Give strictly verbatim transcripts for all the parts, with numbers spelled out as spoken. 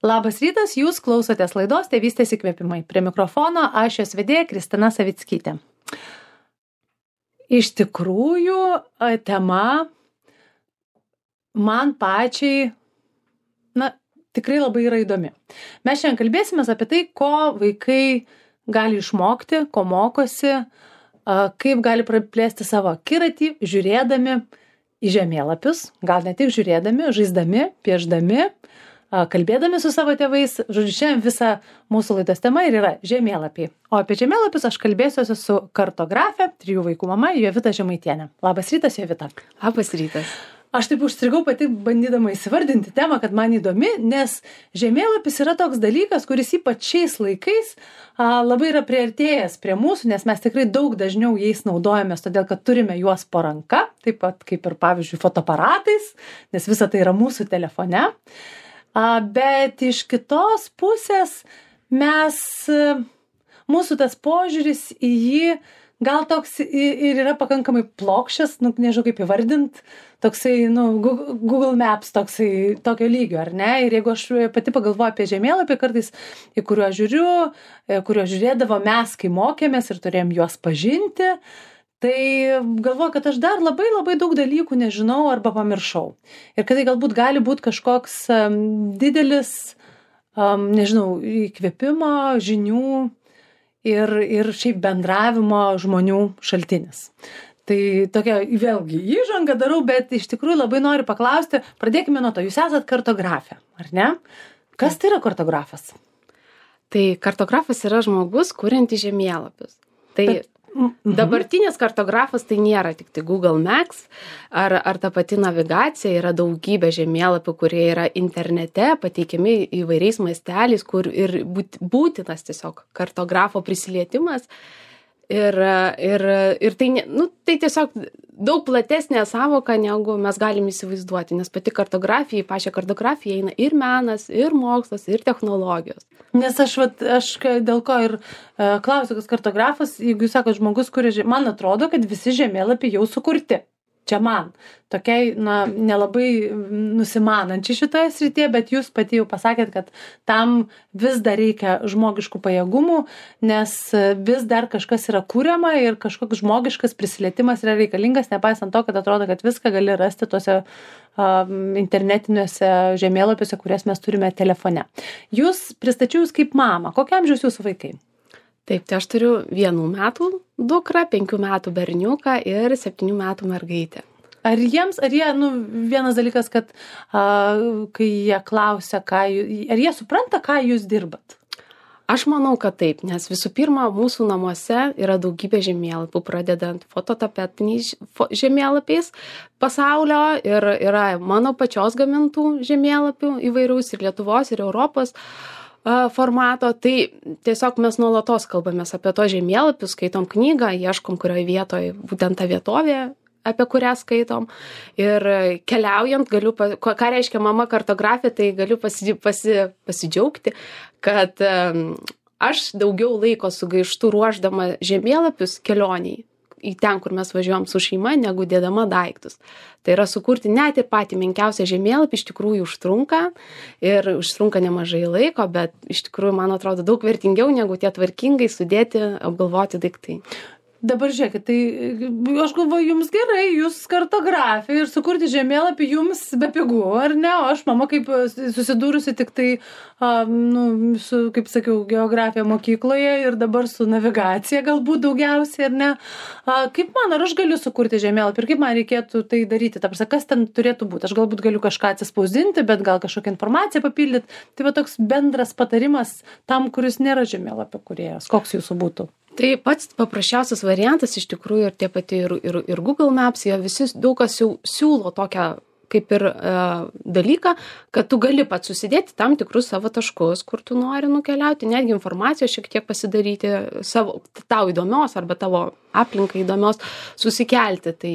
Labas rytas, jūs klausotės laidos Tėvystės įkvėpimai. Prie mikrofono aš jos vedėja Kristina Savickytė. Iš tikrųjų, tema man pačiai, na, tikrai labai yra įdomi. Mes šiandien kalbėsime apie tai, ko vaikai gali išmokti, ko mokosi, kaip gali praplėsti savo akiratį, žiūrėdami į žemėlapius, gal ne tik žiūrėdami, žaisdami, piešdami, kalbėdami su savo tėvais. Žodžiu, šiandien visa mūsų laidos tema ir yra žemėlapiai. O apie žemėlapius aš kalbėsiuosi su kartografe, trijų vaikų mama Jovita Žemaitienė. Labas rytas, Jovita. Labas rytas. Aš taip užstrigau pati bandydama įsivardinti temą, kad man įdomi, nes žemėlapis yra toks dalykas, kuris ypač šiais laikais a, labai yra priartėjęs prie mūsų, nes mes tikrai daug dažniau jais naudojamės, todėl kad turime juos po ranka, taip pat kaip ir pavyzdžiui fotoaparatais, nes visa tai yra mūsų telefone. A, bet iš kitos pusės mes, mūsų tas požiūris į jį gal toks ir yra pakankamai plokščias, nu, nežinau kaip įvardint, toksai, nu, Google Maps toksai, tokio lygio, ar ne? Ir jeigu aš pati pagalvoju apie žemėlapį kartais, į kuriuo žiūriu, kuriuo žiūrėdavo mes, kai mokėmės ir turėjom juos pažinti, tai galvoju, kad aš dar labai labai daug dalykų nežinau arba pamiršau. Ir kad tai galbūt gali būti kažkoks um, didelis, um, nežinau, įkvėpimo, žinių ir, ir šiaip bendravimo žmonių šaltinis. Tai tokia vėlgi įžanga darau, bet iš tikrųjų labai noriu paklausti, pradėkime nuo to, jūs esat kartografė, ar ne? Kas tai yra kartografas? Tai kartografas yra žmogus, kuriantis žemėlapius. Tai bet dabartinis kartografas tai nėra tik tai Google Maps ar, ar ta pati navigacija, yra daugybė žemėlapių, kurie yra internete, pateikiami įvairiais masteliais, kur ir būtinas tiesiog kartografo prisilietimas. Ir, ir, ir tai, nu, tai tiesiog daug platesnė savoka, negu mes galim įsivaizduoti, nes pati kartografija, į pačią kartografiją eina ir menas, ir mokslas, ir technologijos. Nes aš, vat, aš dėl ko ir uh, klausiu, kas kartografas, jeigu jūs sakot žmogus, kuris, man atrodo, kad visi žemėlapiai jau sukurti. Čia man, tokiai, na, nelabai nusimanančiai šitoje srityje, bet jūs pati jau pasakėt, kad tam vis dar reikia žmogiškų pajėgumų, nes vis dar kažkas yra kuriama ir kažkoks žmogiškas prisilietimas yra reikalingas, nepaisant to, kad atrodo, kad viską gali rasti tuose um, internetiniuose žemėlapiuose, kurias mes turime telefone. Jūs pristačiau jūs kaip mama. Kokiam amžiaus jūsų vaikai? Taip, tai aš turiu vienų metų dukrą, penkių metų berniuką ir septynių metų mergaitę. Ar jiems, ar jie, nu, vienas dalykas, kad a, kai jie klausia, ką, ar jie supranta, ką jūs dirbat? Aš manau, kad taip, nes visų pirma, mūsų namuose yra daugybė žemėlapių, pradedant fototapetiniais žemėlapiais pasaulio ir yra mano pačios gamintų žemėlapių įvairiaus ir Lietuvos, ir Europos formato, tai tiesiog mes nuolatos kalbamės apie to žemėlapius, skaitom knygą, ieškom, kurioje vietoje būtent ta vietovė, apie kurią skaitom. Ir keliaujant, galiu, ką reiškia mama kartografė, tai galiu pasi, pasi, pasidžiaugti, kad um, aš daugiau laiko sugaištu ruošdama žemėlapius kelioniai į ten, kur mes važiuojam su šeima, negu dėdama daiktus. Tai yra sukurti net ir patį menkiausią žemėlapį, iš tikrųjų užtrunka ir užtrunka nemažai laiko, bet iš tikrųjų, man atrodo, daug vertingiau negu tie tvarkingai sudėti, apgalvoti daiktai. Dabar žiūrėkit, tai aš galvoju, jums gerai, jūs kartografija ir sukurti žemėlapį jums be pigų, ar ne? O aš, mama, kaip susidūrusi tik tai, a, nu, su, kaip sakiau, geografija mokykloje ir dabar su navigacija galbūt daugiausiai, ar ne? A, kaip man, ar aš galiu sukurti žemėlapį ir kaip man reikėtų tai daryti? Ta prasme, kas ten turėtų būti? Aš galbūt galiu kažką atsispausdinti, bet gal kažkokią informaciją papildyti. Tai va toks bendras patarimas tam, kuris nėra žemėlapio kūrėjas. Koks jūsų būtų? Tai pats paprasčiausias variantas iš tikrųjų ir tie pati ir, ir, ir Google Maps, jie visi daug kas jau siūlo tokią kaip ir e, dalyką, kad tu gali pats susidėti tam tikrus savo taškus, kur tu nori nukeliauti, netgi informaciją šiek tiek pasidaryti savo, tau įdomios arba tavo aplinkai įdomios, susikelti. Tai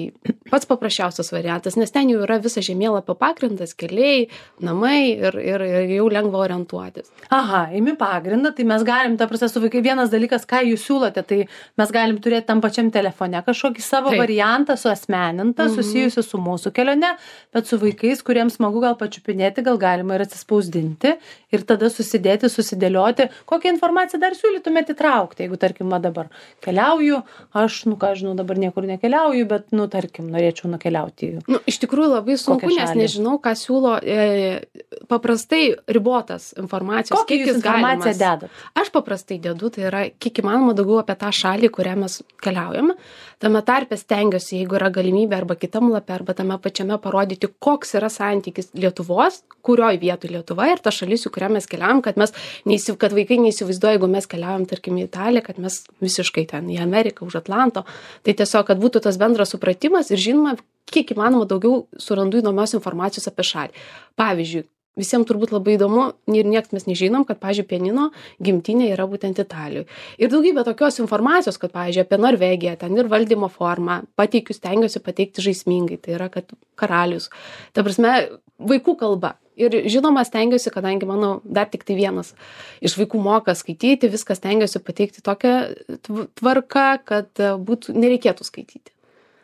pats paprasčiausias variantas, nes ten jau yra visas žemėlapio pagrindas, keliai, namai ir, ir, ir jau lengva orientuotis. Aha, imi pagrindą, tai mes galim, ta prasme, su vaikai vienas dalykas, ką jūs siūlote, tai mes galim turėti tam pačiam telefone kažkokį savo Taip. variantą suasmenintą, mm-hmm. susijusiu su mūsų kelione, bet bet su vaikais, kuriems smagu gal pačiupinėti, gal galima ir atsispausdinti ir tada susidėti, susidėlioti, kokią informaciją dar siūlytumėte įtraukti, jeigu, tarkim, dabar keliauju, aš, nu ką žinau, dabar niekur nekeliauju, bet, nu, tarkim, norėčiau nukeliauti. Nu, iš tikrųjų labai sunku, nes nežinau, ką siūlo e, paprastai ribotas informacijos. Kokią jūs informaciją dedat? Aš paprastai dedu, tai yra kiek įmanoma daugiau apie tą šalį, kurią mes keliaujame. Tame tarpe stengiuosi, jeigu yra galimybė arba kitam lape, arba tame pačiame parodyti, koks yra santykis Lietuvos, kurioj vietoj Lietuva ir ta šalis, į kurią mes keliaujam, kad, mes neįsiv... kad vaikai neįsivaizduoja, jeigu mes keliaujam, tarkim, į Italiją, kad mes visiškai ten į Ameriką, už Atlanto. Tai tiesiog, kad būtų tas bendras supratimas ir žinoma, kiek įmanoma daugiau surandu įdomios informacijos apie šalį. Pavyzdžiui, visiems turbūt labai įdomu ir nieks mes nežinom, kad, pavyzdžiui, pianino gimtinė yra būtent Italijoje. Ir daugybė tokios informacijos, kad, pavyzdžiui, apie Norvegiją, ten ir valdymo formą, pateikiu, stengiuosi pateikti žaismingai, tai yra, kad karalius, ta prasme, vaikų kalba. Ir žinoma, stengiuosi, kadangi mano dar tik tai vienas iš vaikų moka skaityti, viską stengiuosi pateikti tokią tvarką, kad būtų, nereikėtų skaityti.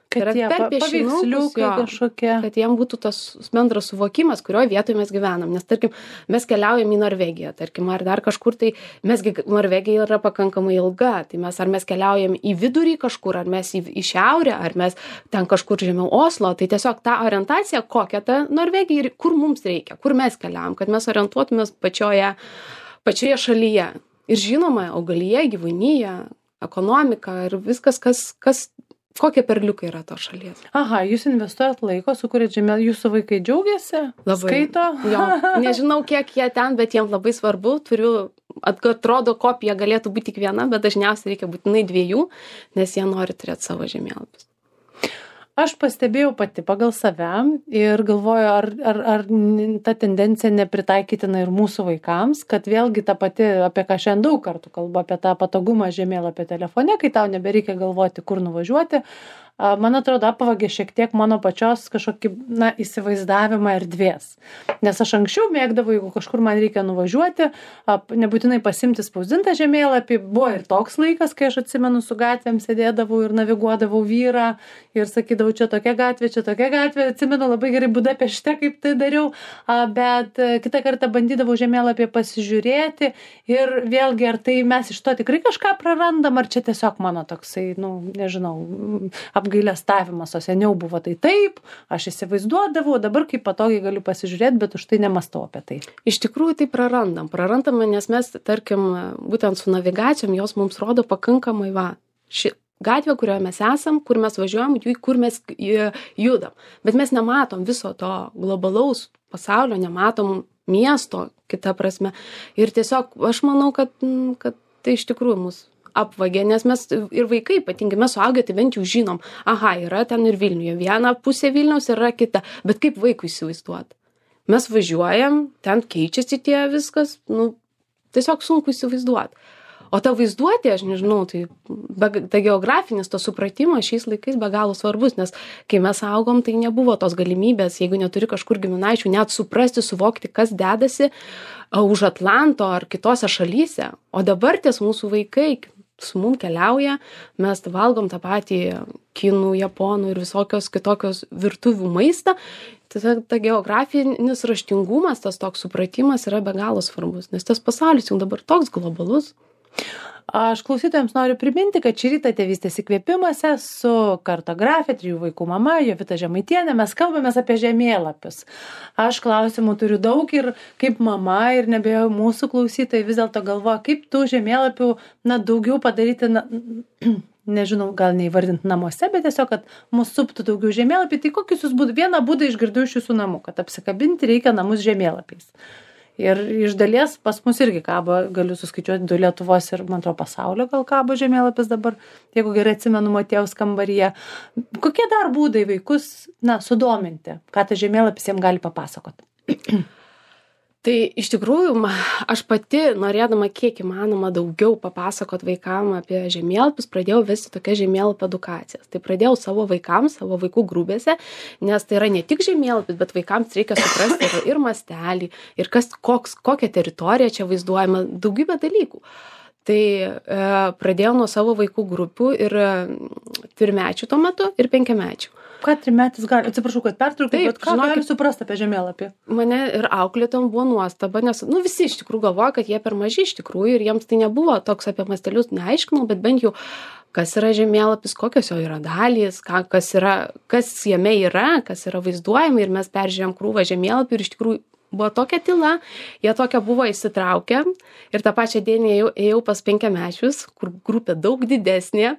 Kad tie paveiksliukai kažkokie. Kad jiem būtų tas bendras suvokimas, kurioje vietoje mes gyvenam. Nes, tarkim, mes keliaujam į Norvegiją, tarkim, ar dar kažkur, tai mesgi Norvegija yra pakankamai ilga. Tai mes, ar mes keliaujam į vidurį kažkur, ar mes į, į šiaurę, ar mes ten kažkur žemiau Oslo. Tai tiesiog ta orientacija, kokia ta Norvegija ir kur mums reikia, kur mes keliaujam, kad mes orientuotumės pačioje, pačioje šalyje. Ir žinoma, augalija, gyvūnija, ekonomika ir viskas, kas, kas kokie perliukai yra to šalies. Aha, jūs investuojat laiko, sukūrėt žemėlapį, jūsų vaikai džiaugiasi? Labai. Skaito? Jo, nežinau, kiek jie ten, bet jiems labai svarbu. Turiu, atrodo, kopija galėtų būti tik viena, bet dažniausiai reikia būtinai dviejų, nes jie nori turėti savo žemėlapius. Aš pastebėjau pati pagal save ir galvoju, ar, ar, ar ta tendencija nepritaikytina ir mūsų vaikams, kad vėlgi ta pati, apie ką šiandien daug kartų kalbu, apie tą patogumą žemėlapio telefone, kai tau nebereikia galvoti, kur nuvažiuoti, man atrodo, apvagė šiek tiek mano pačios kažkokį, na, įsivaizdavimą erdvės. Nes aš anksčiau mėgdavau, jeigu kažkur man reikia nuvažiuoti, nebūtinai pasimti spausdintą žemėlapį, buvo ir toks laikas, kai aš atsimenu, su gatvėm sėdėdavau ir naviguodavau vyrą ir sakydavau, čia tokia gatvė, čia tokia gatvė, atsimenu labai gerai Budapešte, kaip tai dariau, bet kitą kartą bandydavau žemėlapį pasižiūrėti ir vėlgi, ar tai mes iš to tikrai kažką prarandam, ar čia tiesiog mano toksai, nu, nežinau, apgailestavimas, o seniau buvo tai taip, aš įsivaizduodavau, dabar kaip patogiai galiu pasižiūrėti, bet už tai nemastau apie tai. Iš tikrųjų tai prarandam, prarandame, nes mes, tarkim, būtent su navigacijom, jos mums rodo pakankamai, va, ši gatvė, kurioje mes esam, kur mes važiuojam, kur mes judam, bet mes nematom viso to globalaus pasaulio, nematom miesto, kita prasme, ir tiesiog aš manau, kad, kad tai iš tikrųjų mūsų apvagė, nes mes ir vaikai, ypatingai mes suaugę, tai bent jau žinom, aha, yra ten ir Vilniuje, viena pusė Vilniaus yra kita, bet kaip vaikui įsivaizduoti? Mes važiuojam, ten keičiasi tie viskas, nu, tiesiog sunku įsivaizduoti. O ta vaizduotė, aš nežinau, tai be, ta geografinis, to supratimas šiais laikais be galo svarbus, nes kai mes augom, tai nebuvo tos galimybės, jeigu neturi kažkur giminaičių, net suprasti, suvokti, kas dedasi už Atlanto ar kitose šalyse. O dabar ties mūsų vaikai su mum keliauja, mes valgom tą patį kinų, japonų ir visokios kitokios virtuvių maistą. Tai ta geografinis raštingumas, tas toks supratimas yra be galo svarbus, nes tas pasaulis jau dabar toks globalus. Aš klausytojams noriu priminti, kad šį rytą tėvystės įkvėpimuose su kartografė, trijų vaikų mama, Jovita Žemaitienė, mes kalbamės apie žemėlapius. Aš klausimų turiu daug ir kaip mama ir nebejoju mūsų klausytojai vis dėlto galvoja, kaip tų žemėlapių, na, daugiau padaryti, na, nežinau, gal neįvardinti namuose, bet tiesiog, kad mūsų suptų daugiau žemėlapį. Tai kokius jūs būdų, vieną būdą išgirdau iš jūsų namų, kad apsikabinti reikia namus žemėlapiais. Ir iš dalies pas mus irgi kabo, galiu suskaičiuoti, du Lietuvos ir, man atrodo, pasaulio gal kabo žemėlapis dabar, jeigu gerai atsimenu, Motiejaus kambaryje. Kokie dar būdai vaikus, na, sudominti, ką tas žemėlapis jiems gali papasakoti? Tai iš tikrųjų, aš pati, norėdama kiek įmanoma daugiau papasakot vaikam apie žemėlapius, pradėjau vesti tokias žemėlapio edukacijas. Tai pradėjau savo vaikams, savo vaikų grupėse, nes tai yra ne tik žemėlapis, bet vaikams reikia suprasti ir, ir mastelį, ir kas, koks, kokia teritorija čia vaizduojama, daugybė dalykų. Tai e, pradėjau nuo savo vaikų grupių ir e, trimečių tuo metu ir penkiamečių. Ką trimetis gali, atsiprašau, kad pertraukiu, bet ką žinokit, gali suprasti apie žemėlapį? Mane ir auklėtom buvo nuostaba, nes, nu, visi iš tikrųjų galvoja, kad jie per maži iš tikrųjų ir jiems tai nebuvo toks apie mastelius neaiškinau, bet bent jau, kas yra žemėlapis, kokios jo yra dalys, ką, kas, yra, kas jame yra, kas yra vaizduojama ir mes peržiūrėjom krūvą žemėlapį ir iš tikrųjų buvo tokia tyla, jie tokia buvo įsitraukę ir tą pačią dieną ėjau, ėjau pas penkiamečius, kur grupė daug didesnė,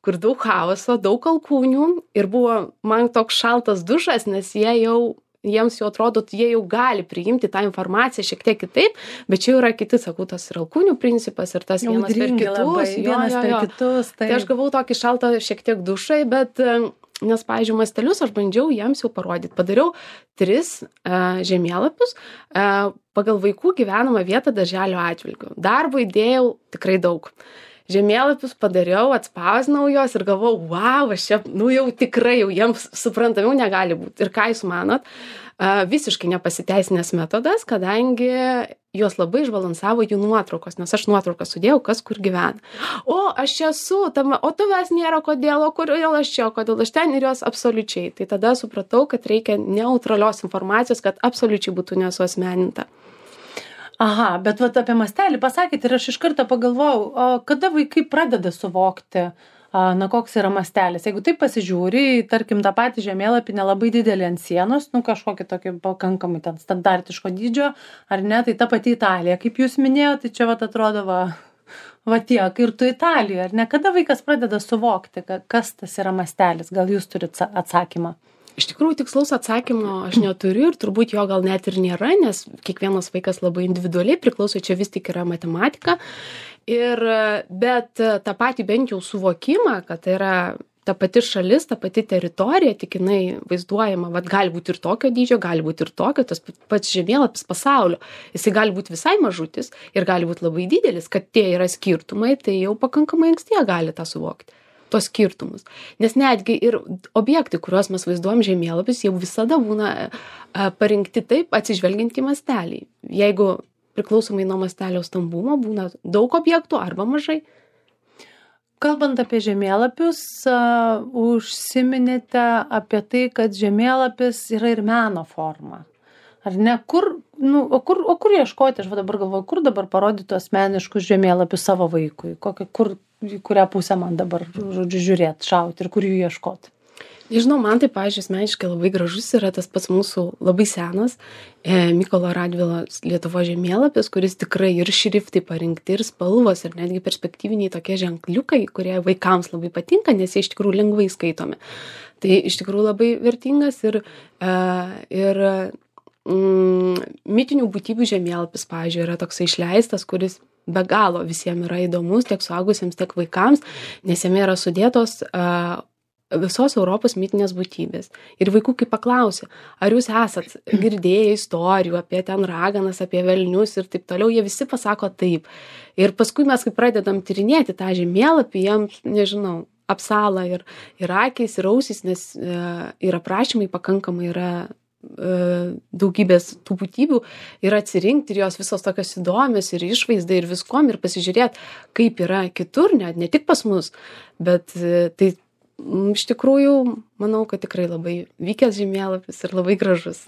kur daug chaoso, daug alkūnių ir buvo man toks šaltas dušas, nes jie jau, jiems jau atrodo, jie jau gali priimti tą informaciją šiek tiek kitaip, bet čia jau yra kiti, sakau, tas ir alkūnių principas ir tas vienas per kitus. Labai, jo, vienas jo, per jo. kitus. Tai... tai aš gavau tokį šaltą šiek tiek dušai, bet... Nes, pavyzdžiui, mastelius aš bandžiau jiems jau parodyti. Padariau tris uh, žemėlapius uh, pagal vaikų gyvenamą vietą darželio atžvilgiu. Darbo įdėjau tikrai daug. Žemėlapius padariau, atspausinau juos ir galvau, wow, aš čia, nu jau tikrai jau jiems suprantamiau negali būti. Ir ką jūs manot? Uh, visiškai nepasiteisinęs metodas, kadangi juos labai išbalansavo jų nuotraukos, nes aš nuotraukas sudėjau, kas kur gyvena. O, aš čia esu, tam, o tavęs nėra, kodėl, o kodėl aš čia, o kodėl aš ten ir jos absoliučiai. Tai tada supratau, kad reikia neutralios informacijos, kad absoliučiai būtų nesuasmeninta. Aha, bet vat apie mastelį pasakėte ir aš iš karto pagalvojau, o kada vaikai pradeda suvokti, na, koks yra mastelis. Jeigu taip pasižiūri, tarkim, tą patį žemėlapį nelabai didelį ant sienos, nu, kažkokį tokį pakankamai ten standartiško dydžio, ar ne, tai ta pati Italija, kaip jūs minėjote, tai čia vat atrodo, va, va tiek, ir tu Italijoje, ar ne, kada vaikas pradeda suvokti, kas tas yra mastelis, gal jūs turite atsakymą? Iš tikrųjų, tikslaus atsakymo aš neturiu ir turbūt jo gal net ir nėra, nes kiekvienas vaikas labai individualiai priklauso, čia vis tik yra matematika. Ir, bet tą patį bent jau suvokimą, kad tai yra ta pati šalis, ta pati teritorija, tik jinai vaizduojama, vat, gali būti ir tokio dydžio, gali būti ir tokio, tas pats žemėlapis pasaulio. Jisai gali būti visai mažutis ir gali būti labai didelis, kad tie yra skirtumai, tai jau pakankamai anksti jie gali tą suvokti. Tos skirtumus. Nes netgi ir objektai, kuriuos mes vaizduojam žemėlapis, jau visada būna a, parinkti taip, atsižvelgiant į mastelį. Jeigu priklausomai nuo mastelio stambumo būna daug objektų arba mažai. Kalbant apie žemėlapius, uh, užsiminėte apie tai, kad žemėlapis yra ir meno forma. Ar ne? Kur, nu, o, kur, o kur ieškoti? Aš dabar galvoju, kur dabar parodyti asmeniškus žemėlapius savo vaikui? Kokia, kur, į kurią pusę man dabar, žodžiu, žiūrėti, šauti ir kur jų ieškoti? Nežinau, man tai, pavyzdžiui, asmeniškai labai gražus yra tas pats mūsų labai senas e, Mykolo Radvilos Lietuvos žemėlapis, kuris tikrai ir šriftai parinkti, ir spalvos, ir netgi perspektyviniai tokie ženkliukai, kurie vaikams labai patinka, nes jie iš tikrųjų lengvai skaitomi. Tai iš tikrųjų labai vertingas ir, e, ir mm, mitinių būtybių žemėlapis, pavyzdžiui, yra toksai išleistas, kuris be galo visiems yra įdomus, tiek suaugusiems, tiek vaikams, nes jame yra sudėtos uh, visos Europos mitinės būtybės. Ir vaikų kaip paklausė, ar jūs esat girdėję istorijų apie ten raganas, apie velnius ir taip toliau, jie visi pasako taip. Ir paskui mes, kai pradedam tyrinėti tą žemėlapį, jiems, nežinau, apsala ir, ir akys, ir ausys, nes uh, ir aprašymai pakankamai yra daugybės tų būtybių ir atsirinkti ir jos visos tokios įdomios ir išvaizdai ir viskom ir pasižiūrėti, kaip yra kitur, net ne tik pas mus, bet tai iš tikrųjų manau, kad tikrai labai vykęs žemėlapis ir labai gražus.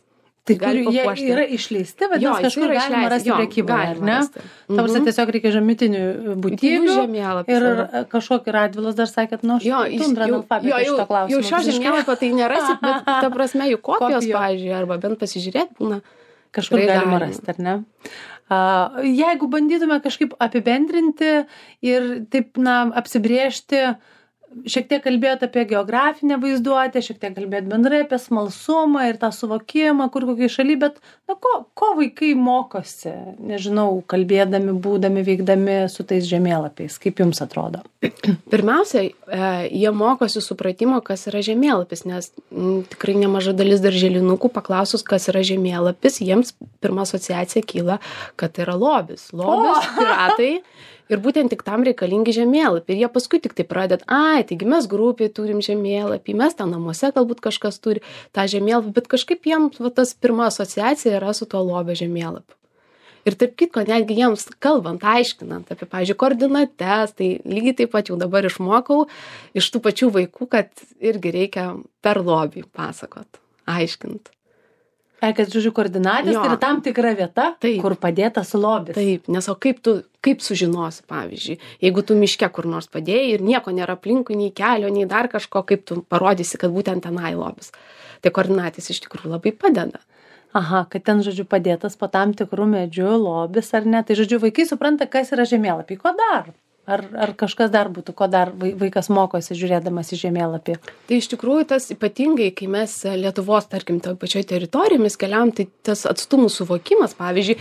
Tai kur jie yra išleisti, bet jos kažkur galima rasti prekyboje, ar ne? Mhm. Tavus tiesiog reikia žemitinių būtybių ir kažkokį Radvilos dar sakėt, nu, aš tundra analfabetą šito klausimą. Jau šio žemėlapio tai nerasit, bet ta prasme jų kopijos, pavyzdžiui, arba bent pasižiūrėti būna. Kažkur galima rasti, ar ne? Uh, jeigu bandytume kažkaip apibendrinti ir taip, na, apsibrėžti, šiek tiek kalbėt apie geografinę vaizduotę, šiek tiek kalbėt bendrai apie smalsumą ir tą suvokimą, kur kokiai šaly, bet na, ko, ko vaikai mokosi, nežinau, kalbėdami, būdami, veikdami su tais žemėlapiais, kaip jums atrodo? Pirmiausia, jie mokosi supratimo, kas yra žemėlapis, nes m, tikrai nemaža dalis darželinukų paklausus, kas yra žemėlapis, jiems pirma asociacija kyla, kad tai yra lobis. Lobis, oh! Piratai. Ir būtent tik tam reikalingi žemėlapį. Ir jie paskui tik tai pradeda, ai, taigi mes grupiai turim žemėlapį, mes ten namuose galbūt kažkas turi tą žemėlapį, bet kažkaip jiems va, tas pirma asociacija yra su tuo lobio žemėlapiu. Ir taip kitko, netgi jiems kalbant, aiškinant apie, pavyzdžiui, koordinates, tai lygiai taip pat jau dabar išmokau iš tų pačių vaikų, kad irgi reikia per lobį pasakot, aiškint. Ai, kad, žodžiu, koordinatės tai yra tam tikra vieta, taip, kur padėtas lobis. Taip, nes o kaip tu, kaip sužinosi, pavyzdžiui, jeigu tu miške kur nors padėjai ir nieko nėra aplinkui, nei kelio, nei dar kažko, kaip tu parodysi, kad būtent tenai lobis. Tai koordinatės iš tikrųjų labai padeda. Aha, kad ten, žodžiu, padėtas po tam tikrų medžių lobis ar ne. Tai, žodžiu, vaikai supranta, kas yra žemėlapiai. Ko dar? Ar, ar kažkas dar būtų, ko dar vaikas mokosi žiūrėdamas į žemėlapį? Tai iš tikrųjų tas ypatingai, kai mes Lietuvos, tarkim, toj pačioj teritorijomis keliam, tai tas atstumų suvokimas, pavyzdžiui,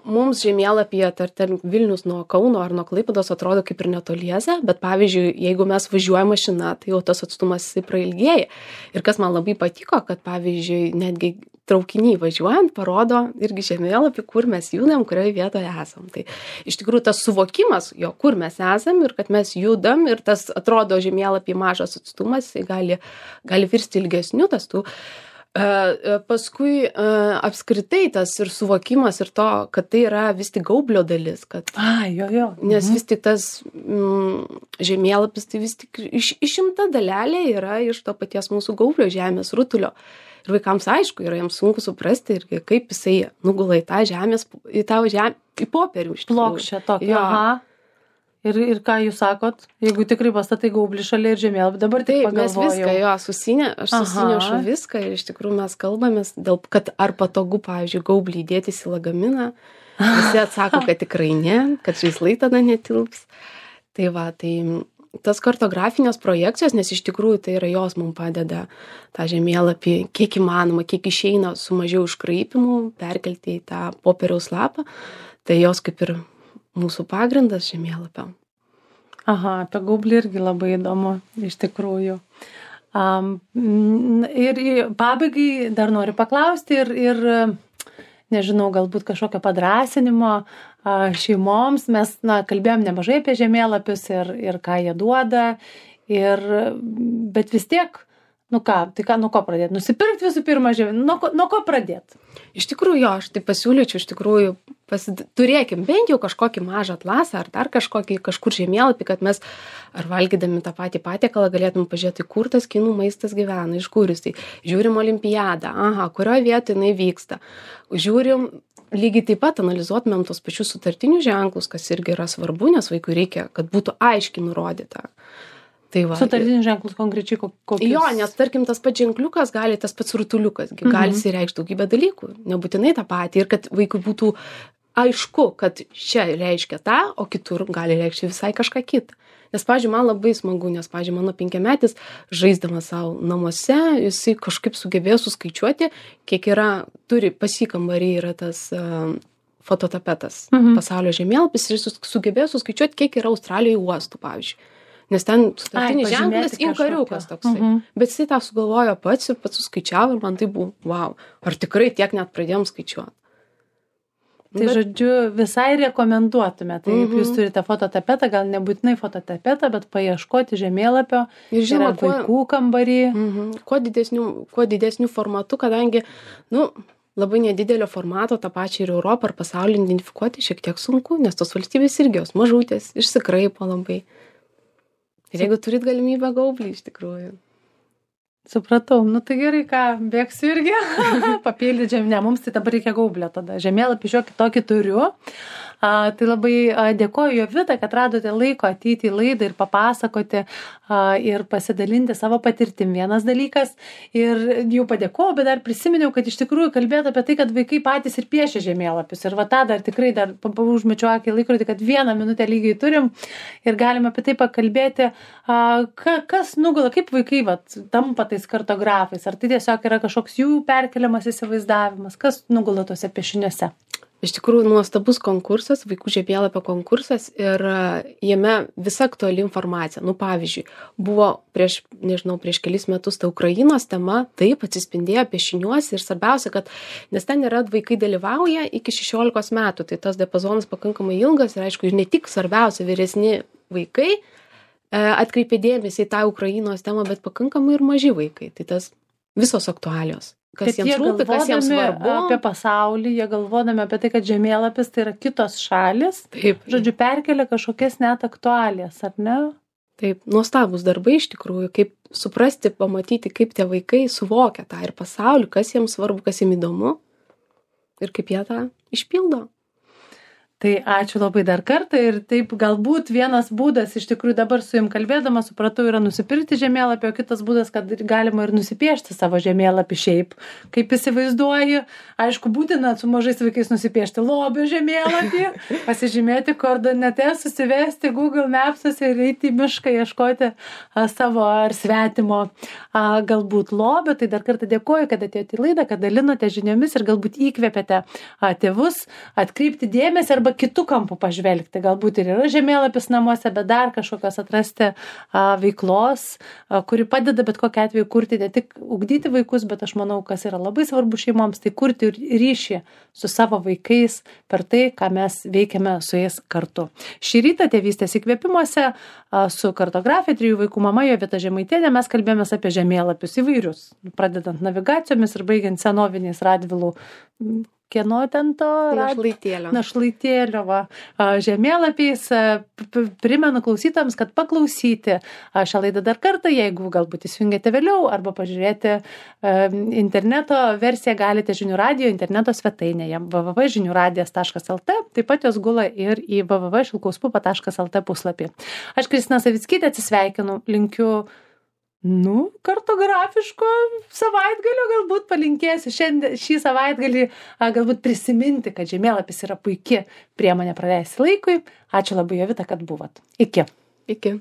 mums žemėlapyje, tarkim, Vilnius nuo Kauno ar nuo Klaipėdos atrodo kaip ir netoliese, bet pavyzdžiui, jeigu mes važiuojame mašina, tai jau tas atstumas prailgėja. Ir kas man labai patiko, kad pavyzdžiui, netgi traukiniai važiuojant parodo irgi žemėlapį, kur mes judam, kurioje vietoje esam. Tai iš tikrųjų tas suvokimas, jo, kur mes esam ir kad mes judam ir tas atrodo žemėlapį mažas atstumas, gali, gali virsti ilgesniu tas tų. Uh, paskui uh, apskritai tas ir suvokimas ir to, kad tai yra vis tik gaublio dalis. Kad, A, jo, jo. Nes mhm. vis tik tas mm, žemėlapis, tai vis tik iš, išimta dalelė yra iš to paties mūsų gaublio žemės rutulio. Ir vaikams aišku, yra jiems sunku suprasti ir kaip jisai nugula į tą žemės, į tą žemę, į popierių. Plokščią tokį. Aha. Ir, ir ką jūs sakot, jeigu tikrai pastatai gaublį šalia ir žemėlapį, dabar tik pagalvojau. Taip, mes viską, jo, susinė, aš susinešu viską ir iš tikrųjų mes kalbamės, dėl, kad ar patogu, pavyzdžiui, gaublį įdėtis į lagaminą. Visi atsako, kad tikrai ne, kad žaislai tada netilps. Tai va, tai tas kartografinės projekcijos, nes iš tikrųjų tai yra jos mums padeda tą žemėlapį, kiek įmanoma, kiek išeina su mažiau iškraipimų, perkelti į tą popieriaus lapą, tai jos kaip ir mūsų pagrindas žemėlapio. Aha, apie gaublį irgi labai įdomu, iš tikrųjų. Um, ir pabaigai dar noriu paklausti ir, ir nežinau, galbūt kažkokio padrąsinimo šeimoms. Mes, na, kalbėjom nemažai apie žemėlapius ir, ir ką jie duoda, ir, bet vis tiek, nu ką, tai ką, nuo ko pradėti? Nusipirkti visų pirma žemėlapį, nuo, ko- nuo ko pradėti? Iš tikrųjų, jo, aš tai pasiūlyčiau, iš tikrųjų, pasid... turėkim bent jau kažkokį mažą atlasą ar dar kažkokį kažkur žemėlapį, kad mes ar valgydami tą patį patiekalą galėtum pažiūrėti, kur tas kinų maistas gyvena, iš kur jis. Tai žiūrim olimpiadą, aha, kurioje vietoje jinai vyksta. Žiūrim, lygiai taip pat analizuotumėm tos pačius sutartinius ženklus, kas irgi yra svarbu, nes vaikui reikia, kad būtų aiškiai nurodyta. Tai va, Sutartinius ženklus konkrečiai kokius? Jo, nes tarkim tas pats ženkliukas gali, tas pats rutuliukas, mhm. gali įsireikšti daugybę dalykų, nebūtinai tą patį, ir kad vaikui būtų aišku, kad čia reiškia tą, o kitur gali reikšti visai kažką kitą. Nes, pavyzdžiui, man labai smagu, nes, pavyzdžiui, mano penkiametis, žaisdamas savo namuose, jisai kažkaip sugebėjo suskaičiuoti, kiek yra, turi pasikambarį yra tas uh, fototapetas, mhm. pasaulio žemėlapis, ir jis sugebėjo suskaičiuoti, kiek yra Australijoje uostų, pavyzdžiui. Nes ten sutartinis ženklas inkariukas toksai. Uh-huh. Bet jisai tą sugalvojo pats ir pats suskaičiavo ir man tai buvo, wow, ar tikrai tiek net pradėjom skaičiuoti. Tai bet... žodžiu, visai rekomenduotume. Tai jeigu uh-huh. jūs turite fototapetą, gal nebūtinai fototapetą, bet paieškoti žemėlapio, ir žinoma, kuo... vaikų kambarį. Uh-huh. Kuo didesnių, kuo didesnių formatų, kadangi, nu, labai nedidelio formato tą pačią ir Europą ar pasaulį identifikuoti šiek tiek sunku, nes tos valstybės irgi jos mažutės, išsikraipo labai. Ir jeigu turit galimybę gaublį, iš tikrųjų. Supratau, nu tai gerai, ką, bėgsiu irgi papildyti žemė, mums tai dabar reikia gaublio tada. Žemėlapį šiokį tokį turiu. A, tai labai a, dėkoju Jovita, kad radote laiko ateiti į laidą ir papasakoti a, ir pasidalinti savo patirtim. Vienas dalykas, ir jau padėkojau, bet dar prisiminiau, kad iš tikrųjų kalbėti apie tai, kad vaikai patys ir piešia žemėlapius. Ir va tą dar tikrai dar užmečiu akį laikrodį, kad vieną minutę lygiai turim ir galime apie tai pakalbėti, a, ka, kas nugula, kaip vaikai va, tampa tais kartografais. Ar tai tiesiog yra kažkoks jų perkeliamas įsivaizdavimas, kas nugula tuose piešiniuose? Iš tikrųjų, nuostabus konkursas, vaikų žemėlapio konkursas, ir jame visa aktuali informacija. Nu, pavyzdžiui, buvo prieš, nežinau, prieš kelis metus ta Ukrainos tema, taip atsispindėjo piešiniuose, ir svarbiausia, kad, nes ten yra vaikai dalyvauja iki šešiolikos metų, tai tas diapazonas pakankamai ilgas, ir aišku, ir ne tik svarbiausia vyresni vaikai atkreipė dėmesį į tą Ukrainos temą, bet pakankamai ir maži vaikai, tai tas visos aktualios. kas jiems rūpi, kas jiems svarbu. Apie pasaulį, jie galvodami apie tai, kad žemėlapis tai yra kitos šalis. Taip. Žodžiu, perkelia kažkokias net aktualijas, ar ne? Taip, nuostabus darbai iš tikrųjų, kaip suprasti, pamatyti, kaip tie vaikai suvokia tą ir pasaulį, kas jiems svarbu, kas jiems įdomu ir kaip jie tą išpildo. Tai ačiū labai dar kartą ir taip galbūt vienas būdas, iš tikrųjų dabar su jum kalbėdama, supratau, yra nusipirkti žemėlapį, o kitas būdas, kad galima ir nusipiešti savo žemėlapį šiaip, kaip įsivaizduoji. Aišku, būtina su mažais vaikais nusipiešti lobio žemėlapį, pasižymėti koordinates, susivesti Google Maps'uose ir eiti į mišką, ieškoti a, savo ar svetimo a, galbūt lobio. Tai dar kartą dėkoju, kad atėjote į laidą, kad dalinote žiniomis ir galbūt įkvėpėte a, tėvus atkreipti dėmesį arba kitų kampų pažvelgti. Galbūt ir yra žemėlapis namuose, bet dar kažkokios atrasti a, veiklos, a, kuri padeda bet kokiu atveju kurti, ne tik ugdyti vaikus, bet aš manau, kas yra labai svarbu šeimoms, tai kurti ryšį su savo vaikais per tai, ką mes veikiame su jais kartu. Šį rytą tėvystės įkvėpimuose a, su kartografija, trijų vaikų mama Jovita Žemaitienė mes kalbėjomės apie žemėlapius įvairius, pradedant navigacijomis ir baigiant senoviniais Radvilų kieno ten to? Našlaitėlio. Našlaitėlio, va, žemėlapiais. Primenu klausytams, kad paklausyti šią laidą dar kartą, jeigu galbūt įsijungėte vėliau arba pažiūrėti interneto versiją galite žinių radijo interneto svetainėje w w w taškas žinių radijas taškas l t, taip pat jos gula ir į w w w taškas šilkauspupa taškas l t puslapį. Aš Kristina Savickytė atsisveikinu, linkiu Nu, kartografiško savaitgalio galbūt palinkėsiu šiandien, šį savaitgalį a, galbūt prisiminti, kad žemėlapis yra puiki priemonė praleisti laikui. Ačiū labai, Jovita, kad buvot. Iki. Iki.